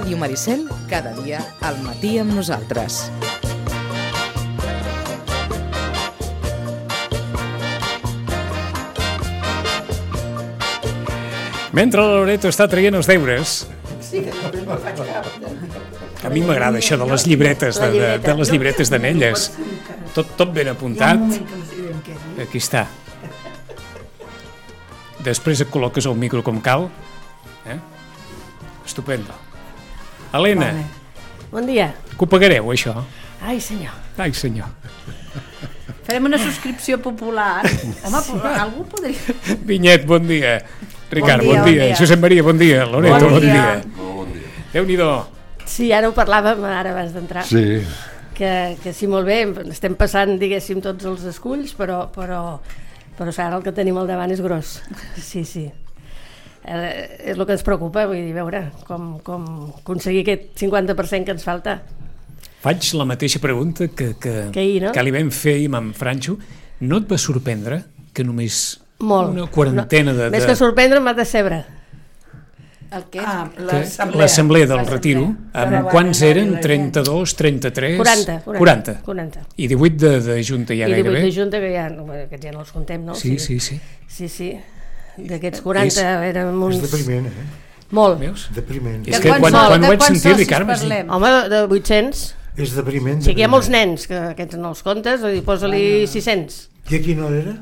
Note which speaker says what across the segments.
Speaker 1: Ràdio Maricel, cada dia al matí amb nosaltres.
Speaker 2: Mentre la Loreto està traient els deures...
Speaker 3: Sí, que no me'n faig cap.
Speaker 2: A mi m'agrada això de les llibretes d'anelles. Tot ben apuntat. Aquí està. Després et col·loques el micro com cal. Estupendo. Helena.
Speaker 4: Bon dia.
Speaker 2: Que ho pagareu, això?
Speaker 4: Ai, senyor.
Speaker 2: Ai, senyor.
Speaker 5: Farem una subscripció popular. Home, algú podria...
Speaker 2: Vinyet, bon dia. Ricard, bon dia. Josep Maria, bon dia. Loreto, bon dia. Déu-n'hi-do.
Speaker 4: Sí, ara ho parlàvem, ara abans d'entrar.
Speaker 6: Sí.
Speaker 4: Que sí, molt bé, estem passant, diguéssim, tots els esculls, però ara el que tenim al davant és gros. Sí. És el que ens preocupa, vull dir, veure com aconseguir aquest 50% que ens falta.
Speaker 2: Faig la mateixa pregunta que
Speaker 4: ahir, no?
Speaker 2: Que li vam fer ahir amb en Franxo. No et va sorprendre que només
Speaker 4: molt.
Speaker 2: Una quarantena de...
Speaker 4: Més que sorprendre m'ha de decebre.
Speaker 5: El què?
Speaker 2: L'assemblea del Retiro. Quants eren? 32, 33... 40. I 18 de Junta ja gairebé.
Speaker 4: I 18 de Junta, que aquests ja no els contem, no? Sí. D'aquests 40 érem uns...
Speaker 6: És depriment,
Speaker 4: Molt.
Speaker 6: Depriment.
Speaker 2: És que quan ho vaig sentir, Ricard...
Speaker 4: Home, de 800.
Speaker 6: És depriment.
Speaker 4: Sí que hi ha molts nens, que aquests no els comptes, posa-li 600.
Speaker 6: I a quina hora era?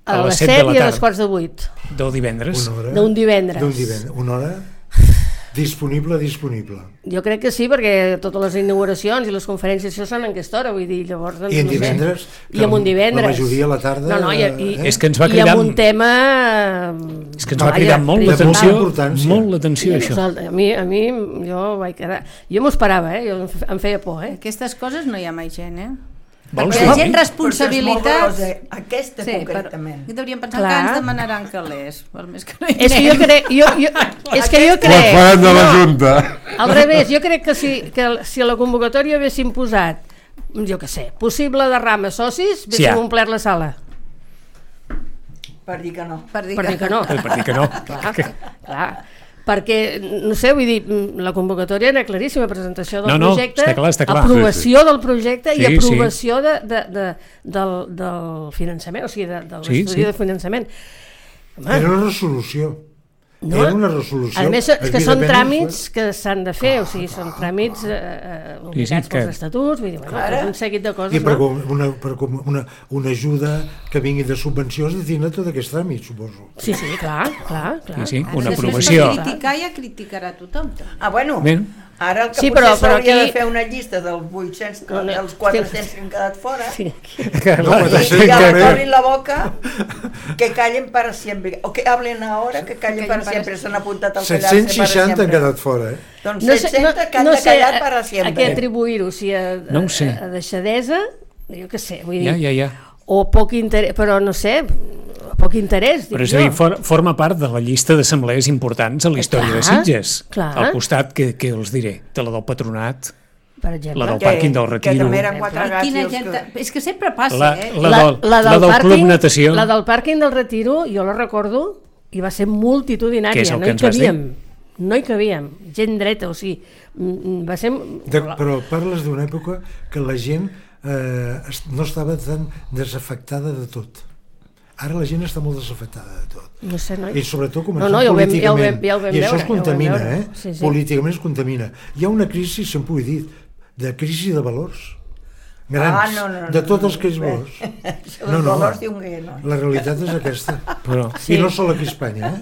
Speaker 4: A les 7 i a les quarts de 8.
Speaker 2: Del divendres.
Speaker 4: D'un divendres.
Speaker 6: Una hora disponible.
Speaker 4: Jo crec que sí, perquè totes les inauguracions i les conferències això són en aquesta hora, vull dir, llavors...
Speaker 6: I en divendres?
Speaker 4: I en un divendres.
Speaker 6: La majoria a la tarda...
Speaker 4: No,
Speaker 2: és que ens va cridar...
Speaker 4: I amb un tema...
Speaker 2: És que ens va cridar molt l'atenció, això.
Speaker 4: A mi, jo vaig quedar... Jo m'ho esperava, jo em feia por,
Speaker 5: Aquestes coses no hi ha mai gent,
Speaker 2: Vols
Speaker 5: hi ha gent responsabilitats...
Speaker 3: Aquesta concretament.
Speaker 5: I devríem pensar que ens demanaran calés.
Speaker 4: És que jo crec...
Speaker 6: Quan faran de la Junta.
Speaker 4: Al revés, jo crec que si a la convocatòria haguéssim posat, jo què sé, possible derrama socis, haguéssim omplert la sala.
Speaker 3: Per dir que no.
Speaker 4: Per dir que no. Clar. Perquè, no sé, vull dir, la convocatòria era claríssima, presentació del projecte,
Speaker 2: està clar.
Speaker 4: Aprovació del projecte i aprovació del finançament, o sigui, de l'estudi de finançament.
Speaker 6: Era una resolució. Era una resolució.
Speaker 4: A més, que són tràmits que s'han de fer, o sigui, són tràmits obligats pels estatuts, vull dir, un seguit de coses,
Speaker 6: no? Per una ajuda que vingui de subvencions de tindre tot aquest tràmit, suposo.
Speaker 4: Sí, clar.
Speaker 2: Sí, una aprovació.
Speaker 5: Si criticar ja criticarà tothom.
Speaker 3: Bueno, ara el que potser s'hauria de fer una llista dels 800, dels 400 que han quedat fora, i ja obrin la boca, que callen para siempre, o que hablen ahora, que callen para siempre, s'han apuntat al callar-se para siempre.
Speaker 6: 760 han quedat fora,
Speaker 3: Doncs 700 que han de callar para siempre.
Speaker 4: A què atribuir-ho, si a deixadesa, jo què sé, vull dir,
Speaker 2: Ja.
Speaker 4: O poc interès, però no sé, poc interès, dic jo.
Speaker 2: Però és a dir, forma part de la llista d'assemblees importants a la història de Sitges. Al costat, que els diré, de la del Patronat,
Speaker 4: per exemple,
Speaker 2: la del pàrquing del Retiro.
Speaker 3: Que també eren 4 gats.
Speaker 5: És que sempre passa,
Speaker 2: La del Club Natació.
Speaker 4: La del pàrquing del Retiro, jo la recordo, i va ser multitudinària, no hi cabíem, gent dreta, o sigui, va ser...
Speaker 6: Però parles d'una època que la gent no estava tan desafectada de tot. Ara la gent està molt desafectada de tot.
Speaker 4: No sé, noi.
Speaker 6: I sobretot començant políticament.
Speaker 4: Ja ho vam
Speaker 6: I això
Speaker 4: veure,
Speaker 6: es contamina,
Speaker 4: Sí.
Speaker 6: Políticament es contamina. Hi ha una crisi, sempre ho he dit, de crisi de valors grans, de tots aquells valors. La realitat és aquesta. I no sol aquí a Espanya,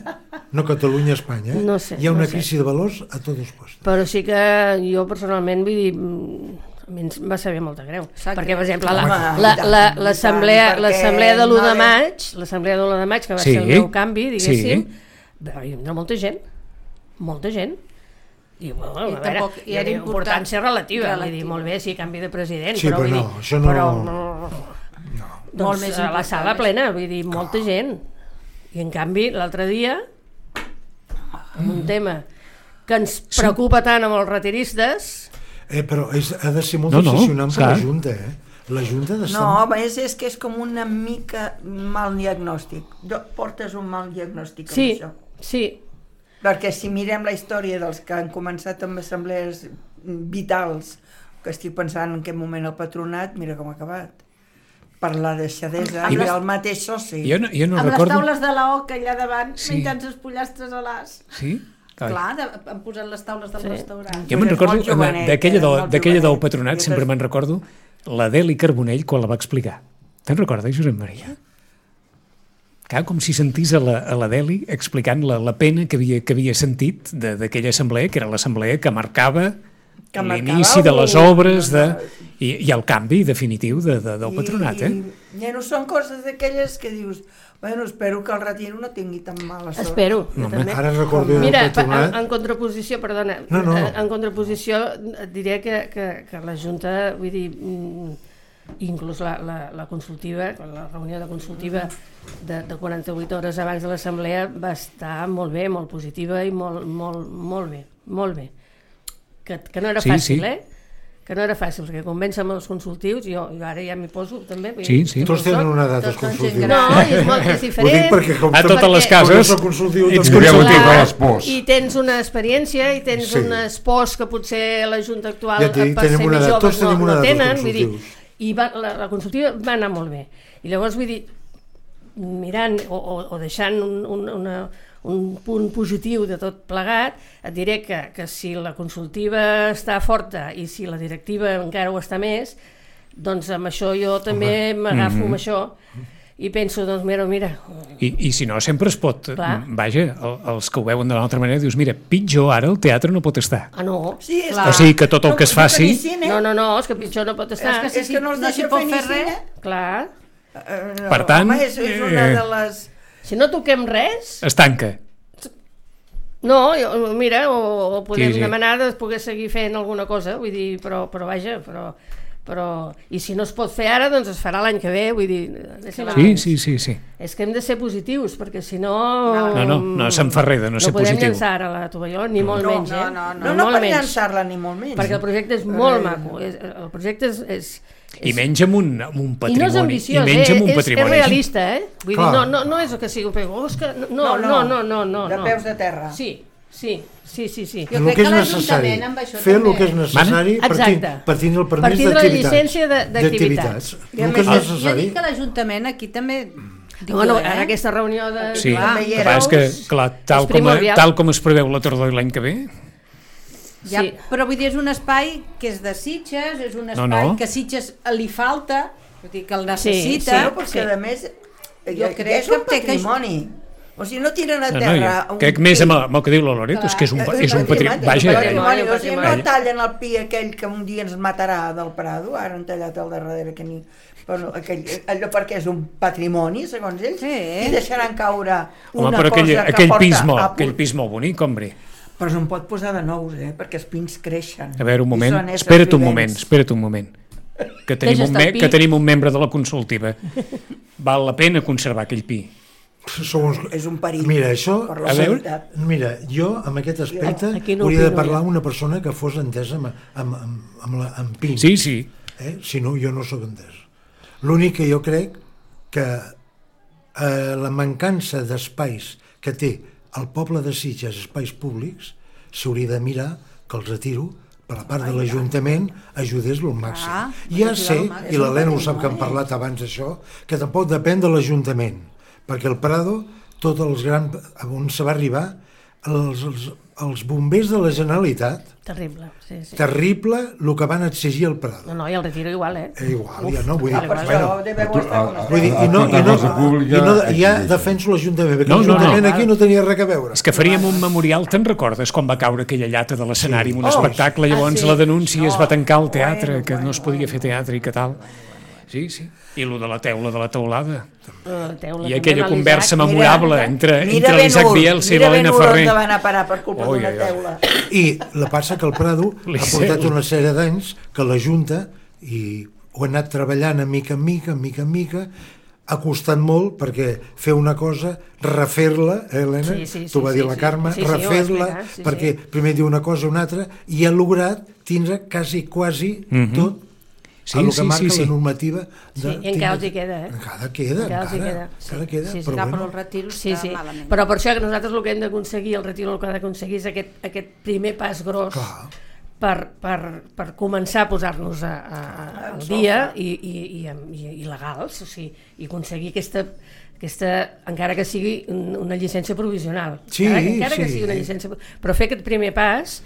Speaker 6: no Catalunya, Espanya. Hi ha una crisi de valors a tots els postos.
Speaker 4: Però sí que jo personalment vull dir, a mi ens va saber molta greu, perquè per exemple l'assemblea de l'1 de maig, que va ser el meu canvi, diguéssim, hi havia molta gent, i bueno, a veure, hi ha importància relativa, vull dir, molt bé, sí, canvi de president,
Speaker 6: però vull dir, això no...
Speaker 4: Doncs a la sala plena, vull dir, molta gent, i en canvi l'altre dia, amb un tema que ens preocupa tant amb els retiristes...
Speaker 6: Però ha de ser molt obsessionant per la Junta, La Junta ha d'estar...
Speaker 3: No, és que és com una mica mal diagnòstic. Portes un mal diagnòstic amb això.
Speaker 4: Sí.
Speaker 3: Perquè si mirem la història dels que han començat amb assemblees vitals, que estic pensant en quin moment el patronat, mira com ha acabat. Per la deixadesa, i el mateix soci.
Speaker 2: Jo no
Speaker 5: amb
Speaker 2: recordo...
Speaker 5: les taules de la Oca allà davant, menjant els pollastres a l'as.
Speaker 2: Sí?
Speaker 5: Clar, han posat les taules del restaurant.
Speaker 2: Jo me'n recordo, d'aquella del patronat, sempre me'n recordo, la Deli Carbonell quan la va explicar. Te'n recordes, Josep Maria? Clar, com si sentís a la Deli explicant la pena que havia sentit d'aquella assemblea, que era l'assemblea que marcava l'inici de les obres i el canvi definitiu del patronat.
Speaker 3: Ja no són coses d'aquelles que dius, bueno, espero que el Retiro no tingui tan mala sort.
Speaker 4: Espero.
Speaker 6: Ara recordo el patronat.
Speaker 4: En contraposició, perdona, en contraposició et diré que la Junta, vull dir, inclús la consultiva, la reunió de consultiva de 48 hores abans de l'assemblea va estar molt bé, molt positiva i molt bé. Que no era fàcil, que no era fàcil, perquè convèncer amb els consultius, jo ara ja m'hi poso també.
Speaker 2: Sí.
Speaker 6: Tots tenen una edat els consultius.
Speaker 4: No, és diferent.
Speaker 6: Ho dic perquè
Speaker 2: a totes les cases
Speaker 6: ets
Speaker 4: consultiu. I tens una experiència i tens unes pors que potser la Junta actual per ser més joves no tenen. I la consultiva va anar molt bé. I llavors vull dir, mirant o deixant un punt positiu de tot plegat, et diré que si la consultiva està forta i si la directiva encara ho està més, doncs amb això jo també m'agafo amb això i penso, doncs mira...
Speaker 2: I si no, sempre es pot... Vaja, els que ho veuen de l'altra manera, dius, mira, pitjor ara el teatre no pot estar.
Speaker 4: Ah, no?
Speaker 3: Sí,
Speaker 2: o sigui que tot el que es faci...
Speaker 4: No, és que pitjor no pot estar.
Speaker 3: És que no es deixa fer res.
Speaker 4: Clar.
Speaker 2: Per tant...
Speaker 3: Home, és una de les...
Speaker 4: Si no toquem res...
Speaker 2: Es tanca.
Speaker 4: No, mira, o podem demanar de poder seguir fent alguna cosa, vull dir, però vaja, però... I si no es pot fer ara, doncs es farà l'any que ve, vull dir...
Speaker 2: Sí.
Speaker 4: És que hem de ser positius, perquè si no...
Speaker 2: No se'n fa res de no ser positiu.
Speaker 4: No podem llançar ara la tovalló, ni molt menys,
Speaker 3: No per llançar-la, ni molt menys.
Speaker 4: Perquè el projecte és molt maco, el projecte és...
Speaker 2: I menys amb un patrimoni.
Speaker 4: I no és ambiciós, és realista, Vull dir, no és que sigui un pego, no.
Speaker 3: De peus de terra.
Speaker 4: Sí.
Speaker 5: Jo crec que l'Ajuntament amb això
Speaker 6: fer el que és necessari partint el permís
Speaker 4: d'activitats. Partint de la llicència d'activitats.
Speaker 6: El que és necessari.
Speaker 5: Jo dic que l'Ajuntament aquí també...
Speaker 4: Ara aquesta reunió de...
Speaker 2: Sí, és que, clar, tal com es preveu la tardor l'any que ve...
Speaker 5: Ja, però vull dir, és un espai que és de Sitges, és un espai que a Sitges li falta, vull dir que el necessita,
Speaker 3: perquè a més jo crec que és un patrimoni. O sigui, no tiren a terra...
Speaker 2: Crec més amb el que diu la Loreto, és que és un patrimoni.
Speaker 3: O sigui, no tallen el pi aquell que un dia ens matarà del Prado, ara han tallat al darrere que ni... allò perquè és un patrimoni, segons ells, i deixaran caure una cosa que porta...
Speaker 2: Aquell pis molt bonic, hombre.
Speaker 3: Però no em pot posar de nous, perquè els pins creixen.
Speaker 2: A veure, un moment, espera't un moment. Que tenim un membre de la consultiva. Val la pena conservar aquell pi.
Speaker 3: És un perill.
Speaker 6: Mira, jo amb aquest aspecte hauria de parlar amb una persona que fos entesa amb pins.
Speaker 2: Sí.
Speaker 6: Si no, jo no sóc entès. L'únic que jo crec que la mancança d'espais que té el poble de Sitges, espais públics, s'hauria de mirar que el Retiro, per la part de l'Ajuntament, ajudés al màxim. Ja sé, i l'Helena ho sap que hem parlat abans d'això, que tampoc depèn de l'Ajuntament, perquè el Prado, tots els grans... on se va arribar, els bombers de la Generalitat...
Speaker 4: Terrible, sí.
Speaker 6: Terrible el que van exigir al Prado.
Speaker 4: No, i el Retiro igual,
Speaker 6: Igual, ja no, vull dir...
Speaker 3: Vull dir,
Speaker 6: i ja defenso l'Ajuntament, perquè l'Ajuntament aquí no tenia res a veure.
Speaker 2: És que faríem un memorial, te'n recordes, quan va caure aquella llata de l'escenari en un espectacle, llavors la denúncia es va tancar el teatre, que no es podia fer teatre i que tal... Sí. I el de la teula de la teulada. I aquella conversa memorable entre l'Isaac Bielsa i l'Helena Ferrer.
Speaker 3: Mira ben on van a parar per culpa d'una teula.
Speaker 6: I la passa que el Prado ha portat una sèrie d'anys que la Junta ho ha anat treballant a mica en mica, ha costat molt perquè fer una cosa, refer-la, Helena, t'ho va dir la Carme, refer-la, perquè primer diu una cosa o una altra, i ha lograt tindre quasi tot. a lo que marca la normativa.
Speaker 4: Sí, i encara els hi queda,
Speaker 6: Encara queda.
Speaker 5: Però el retiro està malament.
Speaker 4: Però per això que nosaltres el que hem d'aconseguir, el retiro el que ha d'aconseguir és aquest primer pas gros per començar a posar-nos al dia i legals, i aconseguir aquesta, encara que sigui una llicència provisional, encara que sigui una llicència, però fer aquest primer pas.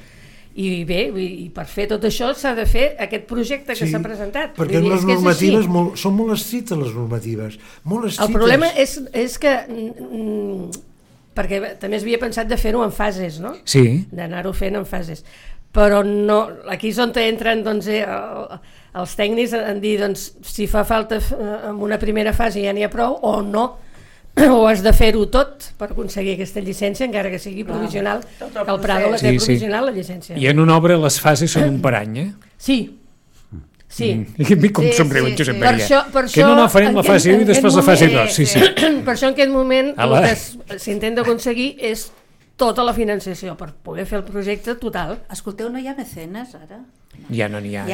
Speaker 4: I bé, i per fer tot això s'ha de fer aquest projecte que s'ha presentat.
Speaker 6: Perquè les normatives són molt estrictes, les normatives, molt estrictes.
Speaker 4: El problema és que perquè també s'havia pensat de fer-ho en fases, no?
Speaker 2: Sí.
Speaker 4: D'anar-ho fent en fases. Però no, aquí és on entren els tècnics en dir si fa falta en una primera fase ja n'hi ha prou o no, o has de fer-ho tot per aconseguir aquesta llicència, encara que sigui provisional, que el Prado la té provisional, la llicència.
Speaker 2: I en una obra les fases són un per any,
Speaker 4: Sí.
Speaker 2: I a mi com somriu en Josep Maria. Que no farem la fase 1 i després la fase 2.
Speaker 4: Per això en aquest moment el que s'intenta aconseguir és tota la financiació per poder fer el projecte total.
Speaker 5: Escolteu, no hi ha mecenes ara?
Speaker 2: Ja no n'hi ha.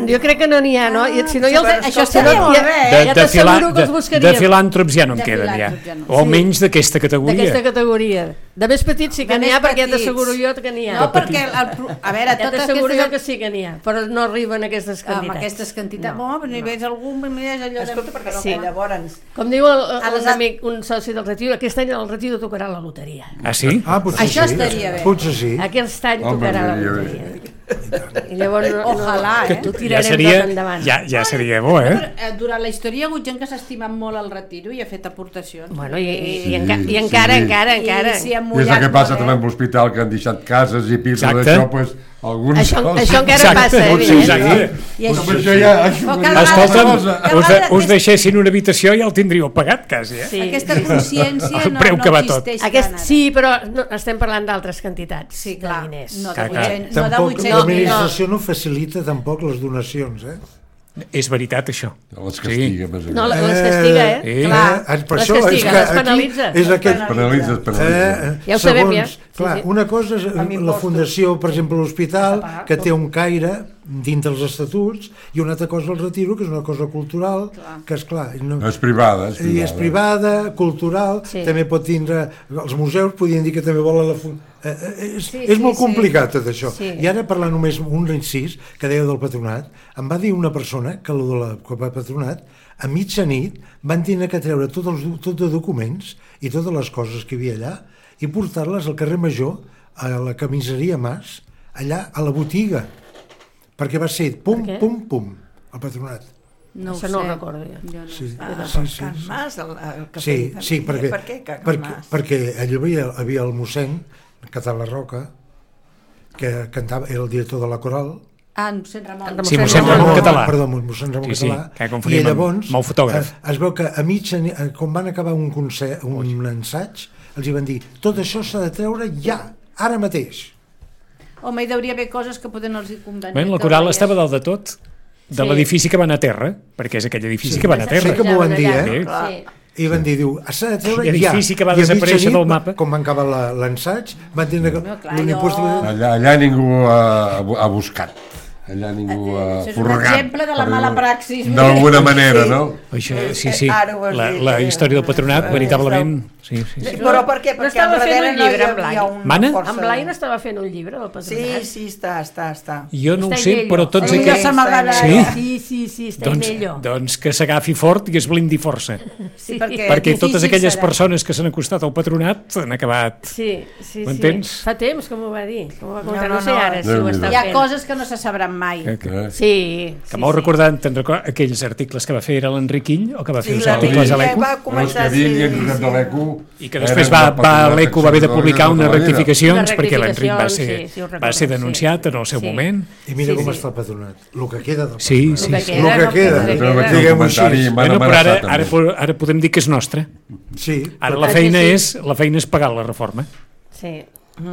Speaker 4: Jo crec que no n'hi ha, no?
Speaker 5: Si no, això estaria molt bé.
Speaker 4: Ja t'asseguro que els buscaríem.
Speaker 2: De filàntrops ja no en queden, ja. O almenys d'aquesta categoria.
Speaker 4: D'aquesta categoria. De més petits sí que n'hi ha, perquè ja t'asseguro jo que n'hi ha.
Speaker 5: No, perquè, a veure,
Speaker 4: ja t'asseguro jo que sí que n'hi ha, però no arriben a aquestes quantitats.
Speaker 5: Amb aquestes quantitats. No, però ni veus algun, mires allò de...
Speaker 3: Escolta, perquè no, llavors...
Speaker 4: Com diu un amic, un soci del Retiro, aquest any el Retiro tocarà la loteria.
Speaker 2: Ah, sí?
Speaker 5: Això estaria bé.
Speaker 6: Potser sí.
Speaker 4: Aquest any tocarà la loteria. I llavors
Speaker 5: ojalà,
Speaker 4: ho tirarem tot endavant.
Speaker 2: Ja seria bo,
Speaker 5: Durant la història hi ha hagut gent que s'ha estimat molt el Retiro i ha fet aportacions.
Speaker 4: Bueno, i encara.
Speaker 7: I és el que passa també amb l'hospital, que han deixat cases i pisos d'això, doncs alguns...
Speaker 4: Això encara passa,
Speaker 2: evidentment. Escolta'm, us deixessin una habitació i ja el tindríeu pagat quasi,
Speaker 5: Aquesta consciència no existeix.
Speaker 4: Sí, però estem parlant d'altres quantitats de diners.
Speaker 5: No de 800.
Speaker 6: L'administració no facilita tampoc les donacions,
Speaker 2: És veritat, això.
Speaker 7: Les castiga, més
Speaker 4: no, les castiga,
Speaker 6: Clar, per
Speaker 4: les castiga, les penalitza. Ja ho sabem, ja.
Speaker 6: Clar, una cosa és la fundació, per exemple, l'hospital, que té un caire dintre els estatuts, i una altra cosa el Retiro, que és una cosa cultural, que és clar...
Speaker 7: És privada.
Speaker 6: I és privada, cultural, també pot tindre... Els museus podien dir que també volen la fundació... És molt complicat tot això. I ara parlar només un incís que deia del patronat, em va dir una persona que el patronat a mitjanit van tenir que treure tots els documents i totes les coses que hi havia allà i portar-les al carrer Major, a la camiseria Mas, allà a la botiga, perquè va ser pum, el patronat.
Speaker 5: No
Speaker 4: això no ho recordo jo.
Speaker 3: Can Mas, el cafè.
Speaker 6: Sí, perquè allà hi havia el mossèn Català Roca, que cantava, era el director de la coral.
Speaker 5: Mossèn Ramon.
Speaker 2: Sí, mossèn Ramon Català.
Speaker 6: Perdó, mossèn Ramon Català. I llavors es veu que a mig, quan van acabar un concert, un ensaig, els hi van dir, tot això s'ha de treure ja, ara mateix.
Speaker 5: Home, hi hauria haver coses que poden els convenir.
Speaker 2: La coral estava dalt de tot, de l'edifici que va anar a terra, perquè és aquell edifici que va anar a terra.
Speaker 6: Sí que m'ho van dir, I van dir, s'ha de treure ja.
Speaker 2: L'edifici que va desaparèixer del mapa.
Speaker 6: Com va acabar l'ensaig, van dir que...
Speaker 7: Allà ningú ha buscat. Allà ningú ha
Speaker 5: furgat. És un exemple de la mala praxis.
Speaker 7: D'alguna manera, no?
Speaker 2: Sí. La història del patronat, veritablement... Sí.
Speaker 3: Però per què?
Speaker 4: Perquè estava fent un llibre amb Blai.
Speaker 2: Mana?
Speaker 4: En Blai no estava fent un llibre del patronat?
Speaker 3: Sí, està.
Speaker 2: Jo no ho sé, però tots
Speaker 4: aquests...
Speaker 2: Sí,
Speaker 4: està ell.
Speaker 2: Doncs que s'agafi fort i es blindi força. Perquè totes aquelles persones que s'han acostat al patronat han acabat...
Speaker 4: Sí.
Speaker 2: M'entens?
Speaker 4: Fa temps que m'ho va dir. No sé ara si ho està fent.
Speaker 5: Hi ha coses que no se sabran mai.
Speaker 4: Sí.
Speaker 2: Que m'ho recordant, aquells articles que va fer era l'Enric Ill, o que va fer els articles a l'ECO? I que després l'ECO va haver de publicar unes rectificacions perquè l'Enric va ser denunciat en el seu moment.
Speaker 6: I mira com està el patronat, el que queda del
Speaker 2: patronat.
Speaker 6: El que queda, diguem-ho així.
Speaker 2: Però ara podem dir que és nostre. Ara la feina és pagar la reforma.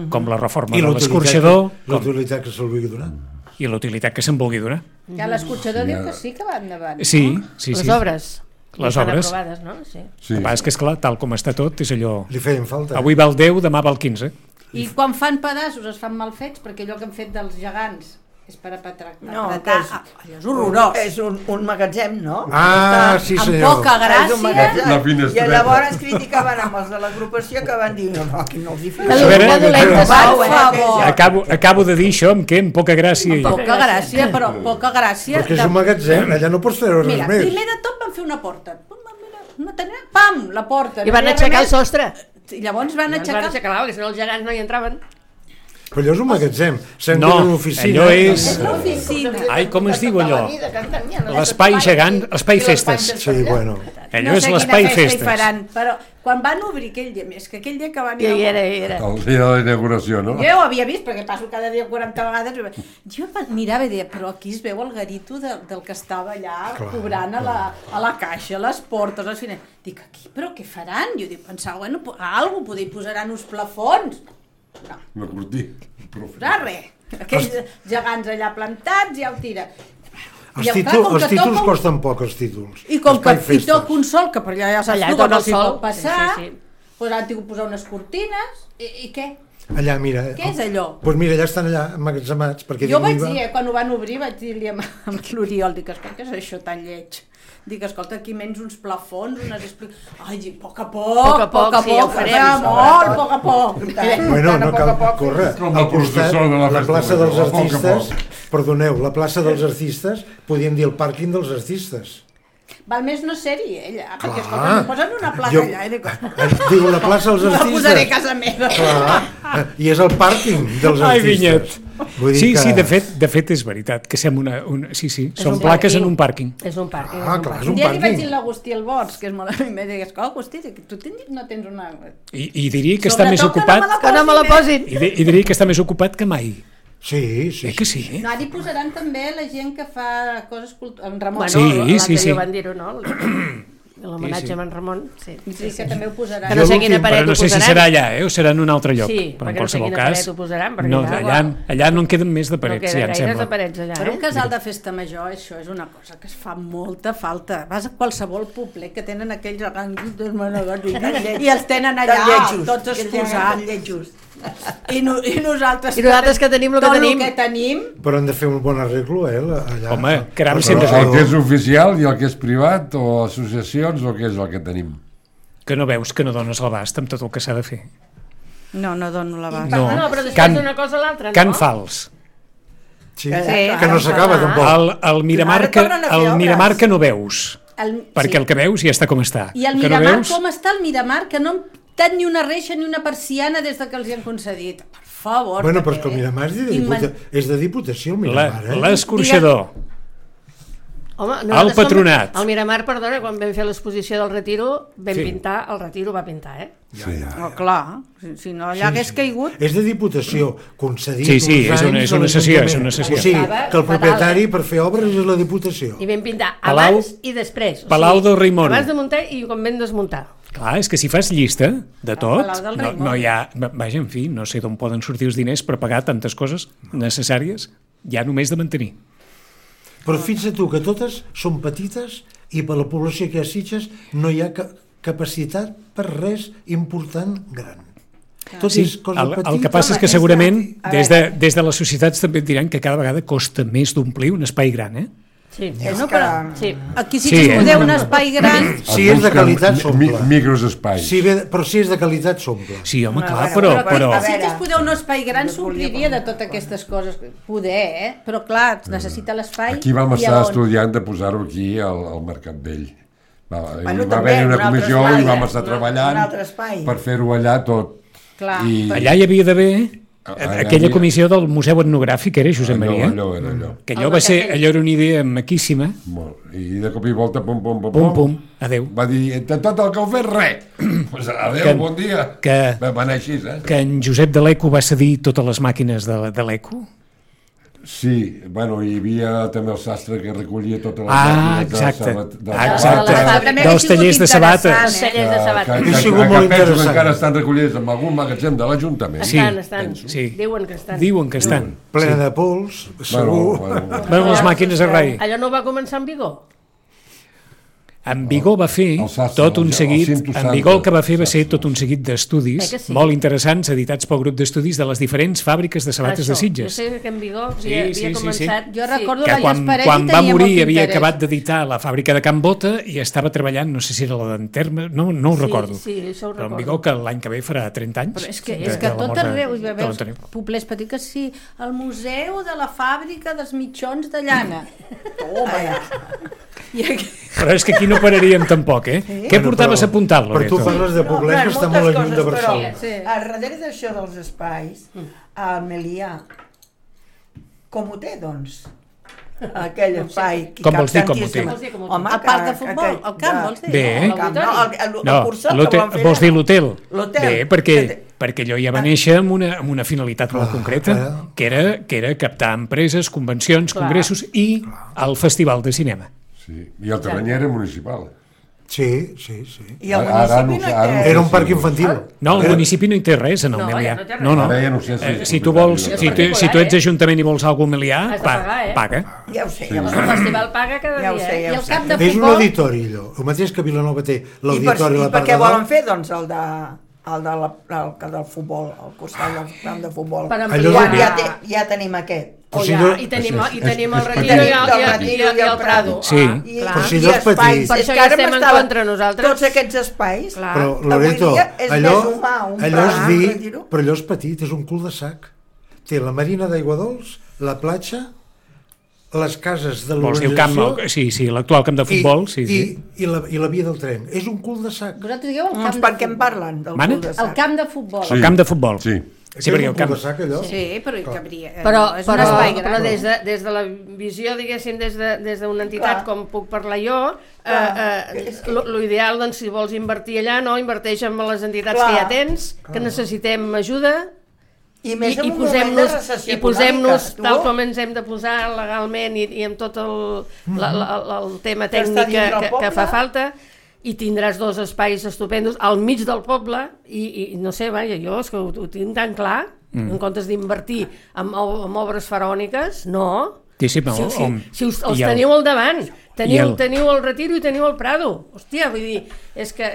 Speaker 2: Com la reforma de l'escorxador.
Speaker 6: I l'utilitat que se'l vulgui donar.
Speaker 2: I l'utilitat que se'n vulgui donar.
Speaker 5: Ja l'escorxador diu que sí que va endavant.
Speaker 2: Sí.
Speaker 4: Les obres.
Speaker 2: Les obres.
Speaker 4: Aprovades, no? Sí.
Speaker 2: El que passa és que, esclar, tal com està tot, és allò...
Speaker 6: Li feien falta.
Speaker 2: Avui val 10, demà val 15.
Speaker 5: I quan fan pedaços es fan mal fets, perquè allò que han fet dels gegants és per apretar. Allò és horrorós.
Speaker 3: És un magatzem, no?
Speaker 6: Ah, sí, senyor.
Speaker 5: Amb poca gràcia.
Speaker 3: I llavors criticaven amb els de l'agrupació que van dir, no, aquí no els hi fem.
Speaker 2: Acabo de dir això amb què? Amb poca gràcia.
Speaker 5: Amb poca gràcia, però poca gràcia.
Speaker 6: Perquè és un magatzem, allà no pots treure res més.
Speaker 5: Mira, primer de tot van fer una porta. Pam, la porta.
Speaker 4: I van aixecar el sostre.
Speaker 5: I llavors van aixecar...
Speaker 4: Perquè si no els gegants no hi entraven.
Speaker 6: Però allò és un magatzem, sembla una oficina.
Speaker 2: Allò és...
Speaker 5: l'oficina.
Speaker 2: Ai, com es diu allò? L'espai gegant, l'espai festes.
Speaker 6: Sí, bueno.
Speaker 2: Allò és l'espai festes.
Speaker 5: Però quan van obrir aquell dia, és que aquell dia que van...
Speaker 4: I era.
Speaker 7: El dia de la inauguració, no?
Speaker 5: Jo ho havia vist, perquè passo cada dia 40 vegades. Jo mirava i deia, però aquí es veu el garito del que estava allà cobrant a la caixa, a les portes, als finals. Dic, aquí, però què faran? Jo dic, pensava, bueno, alguna cosa, posaran uns plafons. No.
Speaker 7: Una cortina.
Speaker 5: Res. Aquells gegants allà plantats ja ho tira.
Speaker 6: Els títols costen poc, els títols.
Speaker 5: I com que hi toca un sol, que per allà ja saps tu que no s'hi pot passar, doncs han tingut posar unes cortines, i què?
Speaker 6: Allà, mira.
Speaker 5: Què és allò?
Speaker 6: Doncs mira, allà estan allà emmagatzemats.
Speaker 5: Jo vaig dir, quan ho van obrir, vaig dir-li amb l'Oriol, dic, escolta, què és això tan lleig? Dic, escolta, aquí menys uns plafons, unes explicacions... Ai, dic, poc a poc,
Speaker 4: sí, ho farem.
Speaker 5: Molt, poc a poc.
Speaker 6: Bueno, no cal córrer. Al costat, la plaça dels artistes, perdoneu, la plaça dels artistes, podíem dir el pàrquing dels artistes.
Speaker 5: Val més no ser-hi, ella, perquè escolta, em posen una placa allà.
Speaker 6: Diu, la plaça dels artistes...
Speaker 5: La posaré a casa meva.
Speaker 6: Clar, i és el pàrquing dels artistes.
Speaker 2: Ai, Vinyet. Sí, de fet és veritat, que som són plaques en un pàrquing.
Speaker 4: És un pàrquing.
Speaker 6: Ah, clar, és un
Speaker 5: pàrquing. Ja li vaig dir a l'Agustí el Bots, que és molt amic, em dic, Agustí, tu no tens una...
Speaker 2: I diria que està més ocupat...
Speaker 4: Que no me la posin.
Speaker 2: I diria que està més ocupat que mai.
Speaker 6: Sí.
Speaker 2: Que sí?
Speaker 5: No, ara hi posaran també la gent que fa coses culturals. En Ramon.
Speaker 4: Bueno, l'altre dia van dir-ho, no? L'homenatge a en Ramon. Sí,
Speaker 5: que també ho posaran.
Speaker 4: Que no sé quina paret ho posaran.
Speaker 2: Però no sé si serà allà, o serà en un altre lloc.
Speaker 4: Sí, perquè no sé quina paret ho posaran.
Speaker 2: No, allà no en queden més de parets, ja em sembla.
Speaker 4: No queden gaires de parets allà.
Speaker 5: Per un casal de festa major, això és una cosa que es fa molta falta. Vas a qualsevol poblet que tenen aquells arranguitos manegats i els tenen allà, tots exposats. I nosaltres
Speaker 4: que tenim el que
Speaker 5: tenim.
Speaker 6: Però hem de fer un bon arreglo, allà.
Speaker 2: Home, caram, sempre
Speaker 7: el que és oficial i el que és privat, o associacions, o què és el que tenim?
Speaker 2: Que no veus que no dones l'abast amb tot el que s'ha de fer.
Speaker 5: No dono l'abast.
Speaker 4: No, però després d'una cosa a l'altra, no?
Speaker 2: Cant fals.
Speaker 6: Sí, que no s'acaba tampoc.
Speaker 2: El Miramar que no veus, perquè el que veus ja està com està.
Speaker 5: I el Miramar com està el Miramar, que no tant ni una reixa ni una persiana des que els hi han concedit. Per favor.
Speaker 6: Bueno, però és que el Miramar és de Diputació, el Miramar.
Speaker 2: L'escorxador. El Patronat.
Speaker 4: El Miramar, perdona, quan vam fer l'exposició del Retiro, vam pintar, el Retiro va pintar,
Speaker 6: Ja.
Speaker 5: Oh, clar, si no allà hagués caigut...
Speaker 6: És de Diputació, concedit
Speaker 2: és una sessió. O
Speaker 6: sigui, que el propietari per fer obres és la Diputació.
Speaker 4: I vam pintar abans i després.
Speaker 2: Palau del Rei Moro.
Speaker 4: Abans de muntar i quan vam desmuntar.
Speaker 2: Clar, és que si fas llista de tot, no hi ha... Vaja, en fi, no sé d'on poden sortir els diners per pagar tantes coses necessàries, ja només de mantenir.
Speaker 6: Però fixa't tu que totes són petites i per la població que hi ha a Sitges no hi ha capacitat per res important gran.
Speaker 2: El que passa és que segurament des de les societats també et diran que cada vegada costa més d'omplir un espai gran,
Speaker 4: Sí,
Speaker 5: aquí sí que es podeu un espai gran.
Speaker 6: Si és de qualitat, s'omple.
Speaker 7: Microespais.
Speaker 6: Però si és de qualitat, s'omple.
Speaker 2: Sí, home, clar, però...
Speaker 5: Si que es podeu un espai gran, s'ompliria de totes aquestes coses. Poder, però clar, necessita l'espai.
Speaker 7: Aquí vam estar estudiant de posar-ho aquí al Mercat Vell. Va haver-hi una comissió i vam estar treballant per fer-ho allà tot.
Speaker 2: Allà hi havia d'haver... Aquella comissió del Museu Etnogràfic era Josep Maria.
Speaker 7: Allò.
Speaker 2: Que allò era una idea maquíssima.
Speaker 7: I de cop i volta,
Speaker 2: pum, adeu.
Speaker 7: Va dir, de tot el que heu fet, res. Adeu, bon dia. Va anar així,
Speaker 2: que en Josep de l'Eco va cedir totes les màquines de l'Eco.
Speaker 7: Sí, bueno, hi havia també el sastre que recollia totes les
Speaker 2: màquines dels tallers de sabates.
Speaker 6: Ha sigut molt interessant.
Speaker 7: Que encara estan recollides en algun magatzem de l'Ajuntament.
Speaker 4: Estan. Diuen que estan.
Speaker 6: Plena de pols, segur.
Speaker 2: Bueno, les màquines a rai.
Speaker 4: Allò no va començar en vigor?
Speaker 2: En Vigó va fer tot un seguit, en Vigó el que va fer va ser tot un seguit d'estudis molt interessants, editats pel grup d'estudis de les diferents fàbriques de sabates de Sitges.
Speaker 4: Jo sé que en Vigó havia començat...
Speaker 5: Jo recordo
Speaker 2: que quan va morir havia acabat d'editar la fàbrica de Can Bota i estava treballant, no sé si era la d'Enterme, no ho recordo.
Speaker 4: Sí, això ho recordo.
Speaker 2: Però en Vigó que l'any que ve farà 30 anys.
Speaker 5: Però és que tot arreu hi va haver poblets petits que sí, el museu de la fàbrica dels mitjons de llana. Toma ja.
Speaker 2: Però és que aquí no pararíem tampoc, eh? Què portaves apuntat, Loreto?
Speaker 6: Però tu parles de poblets que està molt lluny de Barcelona.
Speaker 3: Però darrere d'això dels espais, el Melià, com ho té, doncs? Aquell espai...
Speaker 2: Com vols dir com ho té?
Speaker 5: Home, a part de futbol, el camp, vols dir?
Speaker 2: Bé, vols dir l'hotel? Bé, perquè allò ja va néixer amb una finalitat molt concreta, que era captar empreses, convencions, congressos i el Festival de Cinema.
Speaker 7: Sí, i el terreny era municipal.
Speaker 6: Sí.
Speaker 3: I el municipi no té...
Speaker 6: Era un parc infantil.
Speaker 2: No, el municipi no hi té res en el Melià. No. Si tu ets ajuntament i vols alguna cosa Melià, paga.
Speaker 3: Ja ho sé.
Speaker 4: El festival paga cada dia.
Speaker 5: I el camp de futbol...
Speaker 6: És un auditori, allò. El mateix que Vilanova té l'auditori a la part de dalt.
Speaker 3: I per què volen fer, doncs, el del futbol, el costat del camp de futbol? Ja tenim aquest.
Speaker 4: I tenim el Retiro i el Prado.
Speaker 2: Sí.
Speaker 6: Però si no és petit.
Speaker 4: Per això ja estem en contra nosaltres.
Speaker 3: Tots aquests espais.
Speaker 6: Però, Loreto, allò és dir, però allò és petit, és un cul de sac. Té la marina d'Aigua Dols, la platja, les cases de l'organització...
Speaker 2: Sí, l'actual camp de futbol.
Speaker 6: I la via del tren. És un cul de sac.
Speaker 5: Vosaltres dieu el camp de
Speaker 3: futbol. Per què en parlen, del cul de sac?
Speaker 5: El camp de futbol.
Speaker 2: El camp de futbol.
Speaker 7: Sí.
Speaker 6: Sí, perquè el camp de sac, allò?
Speaker 5: Sí, però hi cabria.
Speaker 4: Però des de la visió, diguéssim, des d'una entitat com puc parlar jo, l'ideal, doncs, si vols invertir allà, no, inverteix en les entitats que ja tens, que necessitem ajuda,
Speaker 3: i
Speaker 4: posem-nos tal com ens hem de posar legalment i amb tot el tema tècnic que fa falta, i tindràs dos espais estupendos al mig del poble i no sé, vaja, jo és que ho tinc tan clar, en comptes d'invertir en obres faraòniques, no. Si els teniu al davant, teniu el Retiro i teniu el Prado. Hòstia, vull dir, és que...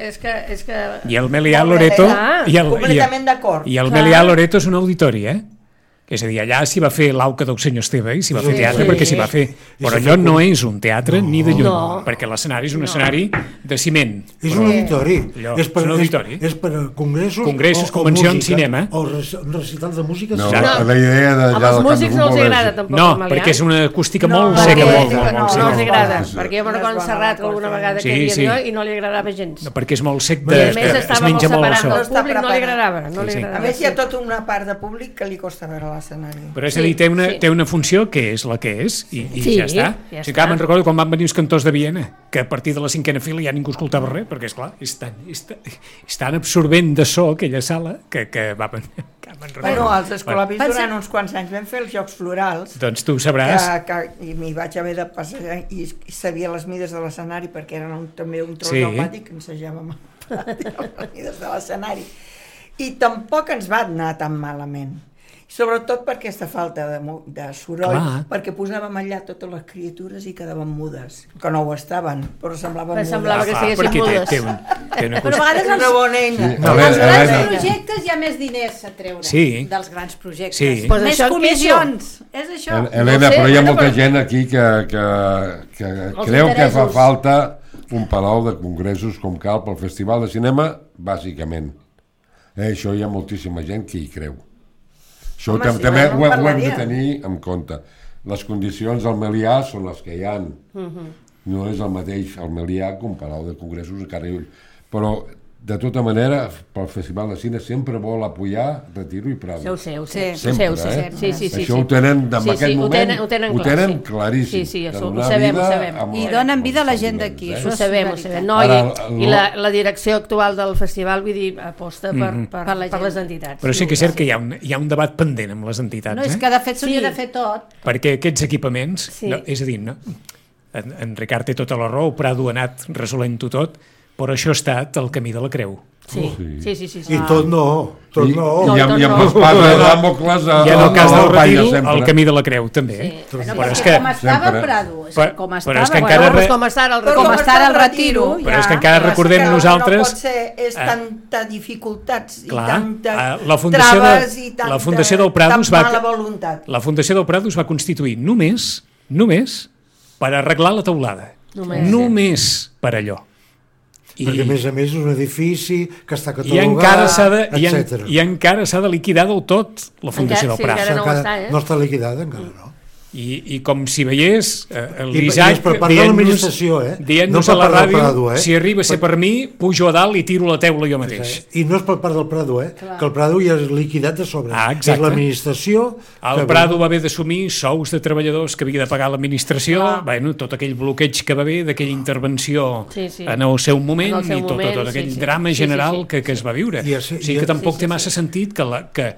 Speaker 2: I el Melià Loreto...
Speaker 3: Completament d'acord.
Speaker 2: I el Melià Loreto és un auditori, És a dir, allà s'hi va fer l'Auca del senyor Esteve i s'hi va fer teatre perquè s'hi va fer. Però allò no és un teatre ni de lluny, perquè l'escenari és un escenari de ciment.
Speaker 6: És un auditori. És per a
Speaker 2: congressos, convencions, cinema.
Speaker 6: O recitals de música.
Speaker 7: No, la idea de...
Speaker 4: Als músics no els agrada tampoc.
Speaker 2: No, perquè és una acústica molt seca.
Speaker 4: No els agrada, perquè jo me'n recordo Serrat alguna vegada que hi havia i no li agradava gens.
Speaker 2: Perquè és molt sec,
Speaker 4: es menja molt el so. Al públic no li agradava.
Speaker 3: A més hi ha tota una part de públic que li costa veure l'escenari.
Speaker 2: Però és a dir, té una funció que és la que és i ja està. Si encara me'n recordo quan van venir els cantors de Viena, que a partir de la 5a fila ja ningú escoltava res, perquè esclar, és tan absorbent de so aquella sala que va...
Speaker 3: Bueno, als escolapis durant uns quants anys vam fer els Jocs Florals.
Speaker 2: Doncs tu sabràs.
Speaker 3: I m'hi vaig haver de passar i sabia les mides de l'escenari perquè era també un tros pneumàtic que ensejàvem les mides de l'escenari. I tampoc ens va anar tan malament. Sobretot per aquesta falta de soroll, perquè posàvem allà totes les criatures i quedaven mudes, que no ho estaven, però semblaven mudes.
Speaker 4: Semblava que estiguessin mudes.
Speaker 5: Però a vegades
Speaker 3: una bona eina.
Speaker 5: Als grans projectes hi ha més diners a treure dels grans projectes. Més comissions, és això.
Speaker 7: Helena, però hi ha molta gent aquí que creu que fa falta un palau de congressos com cal pel Festival de Cinema, bàsicament. Això hi ha moltíssima gent que hi creu. Això també ho hem de tenir en compte. Les condicions del Melià són les que hi ha. No és el mateix el Melià que un palau de congressos a Carriull. Però, de tota manera, pel Festival de Cine sempre vol apoyar Retiro i Prado.
Speaker 4: Ho sé.
Speaker 7: Sempre, Això ho tenen, en aquest moment, ho tenen claríssim.
Speaker 4: Sí, ho sabem.
Speaker 5: I donen vida a la gent d'aquí.
Speaker 4: Ho sabem. I la direcció actual del festival, vull dir, aposta per les entitats.
Speaker 2: Però sí que és cert que hi ha un debat pendent amb les entitats.
Speaker 5: No, és que de fet s'hauria de fer tot.
Speaker 2: Perquè aquests equipaments, és a dir, en Ricard té tota la raó, Prado ha anat resolent-ho tot, però això ha estat el camí de la creu.
Speaker 4: Sí.
Speaker 6: I tot no.
Speaker 7: I amb l'espasa de Dàmocles
Speaker 2: i en el cas del retiro el camí de la creu també.
Speaker 5: Però és que com estava el Prado, com està el retiro,
Speaker 2: però és que encara recordem nosaltres,
Speaker 3: no pot ser, és tanta dificultats i tanta traves i tanta mala voluntat.
Speaker 2: La Fundació del Prado es va constituir només per arreglar la teulada, només per allò.
Speaker 6: Perquè a més és un edifici que està catalogat, etc.
Speaker 2: I encara s'ha de liquidar del tot la Fundació del Prado.
Speaker 6: No està liquidada encara, no.
Speaker 2: I com si veiés l'Isaac
Speaker 6: dient-nos
Speaker 2: a la ràdio, si arriba a ser per mi, pujo a dalt i tiro la teula jo mateix.
Speaker 6: I no és per part del Prado, que el Prado ja és liquidat de sobre. És l'administració...
Speaker 2: El Prado va haver d'assumir sous de treballadors que havia de pagar l'administració, tot aquell bloqueig que va haver d'aquella intervenció en el seu moment i tot aquell drama general que es va viure. O sigui que tampoc té massa sentit que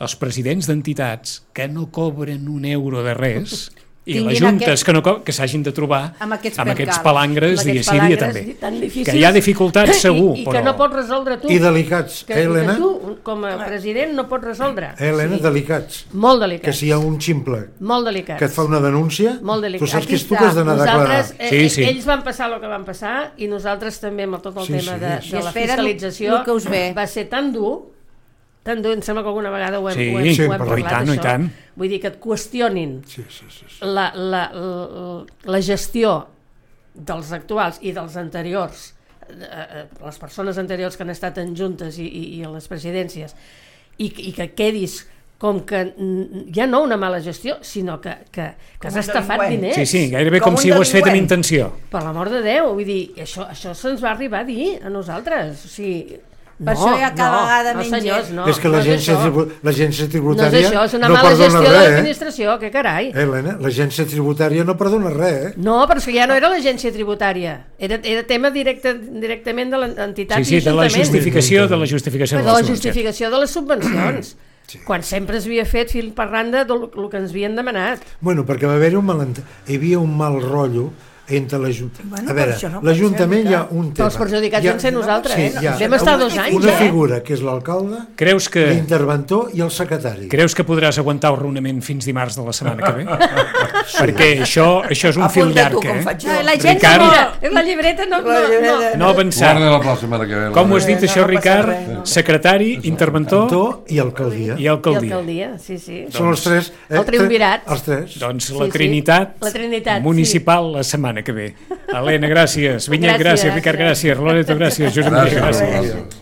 Speaker 2: els presidents d'entitats que no cobren un euro de res i les juntes que s'hagin de trobar amb aquests palangres dia sí dia també. Que hi ha dificultats segur,
Speaker 4: i que no pots resoldre tu.
Speaker 6: I delicats, Helena?
Speaker 4: Que tu, com a president, no pots resoldre.
Speaker 6: Helena, delicats.
Speaker 4: Molt delicats.
Speaker 6: Que si hi ha un ximple que et fa una denúncia, tu saps que és tu que has d'anar a declarar.
Speaker 4: Ells van passar el que van passar i nosaltres també amb tot el tema de la fiscalització va ser tan dur, em sembla que alguna vegada ho hem parlat, això. Vull dir que et qüestionin la gestió dels actuals i dels anteriors, les persones anteriors que han estat en juntes i a les presidències, i que quedis com que ja no una mala gestió, sinó que has estafat diners.
Speaker 2: Sí, gairebé com si ho has fet amb intenció.
Speaker 4: Per l'amor de Déu, vull dir, això se'ns va arribar a dir a nosaltres, o sigui...
Speaker 5: Per això ja cada vegada
Speaker 4: menys.
Speaker 6: És que l'agència tributària
Speaker 4: no és això, és una mala gestió de l'administració, que carai.
Speaker 6: Helena, l'agència tributària no perdona res,
Speaker 4: No, però és que ja no era l'agència tributària, era tema directament de l'entitat i
Speaker 2: de la justificació de
Speaker 4: les subvencions. Quan sempre es havia fet fil per randa del que ens havien demanat.
Speaker 6: Bueno, perquè va haver-hi hi havia un mal rotllo entre l'Ajuntament. A veure, l'Ajuntament hi ha un tema.
Speaker 4: Els perjudicats vam ser nosaltres, vam estar 2 anys.
Speaker 6: Una figura que és l'alcalde, l'interventor i el secretari.
Speaker 2: Creus que podràs aguantar el raonament fins dimarts de la setmana que ve? Perquè això és un fil llarg,
Speaker 4: La gent la llibreta
Speaker 2: no avançar. Com ho has dit això, Ricard? Secretari, interventor
Speaker 6: i alcaldia.
Speaker 2: I alcaldia,
Speaker 4: sí.
Speaker 6: Són els 3.
Speaker 4: El triumvirat.
Speaker 2: Doncs la Trinitat municipal la setmana que ve. Helena, gràcies. Vinyet, gràcies. Ricard, gràcies. Loreto, gràcies. Josep Maria, gràcies.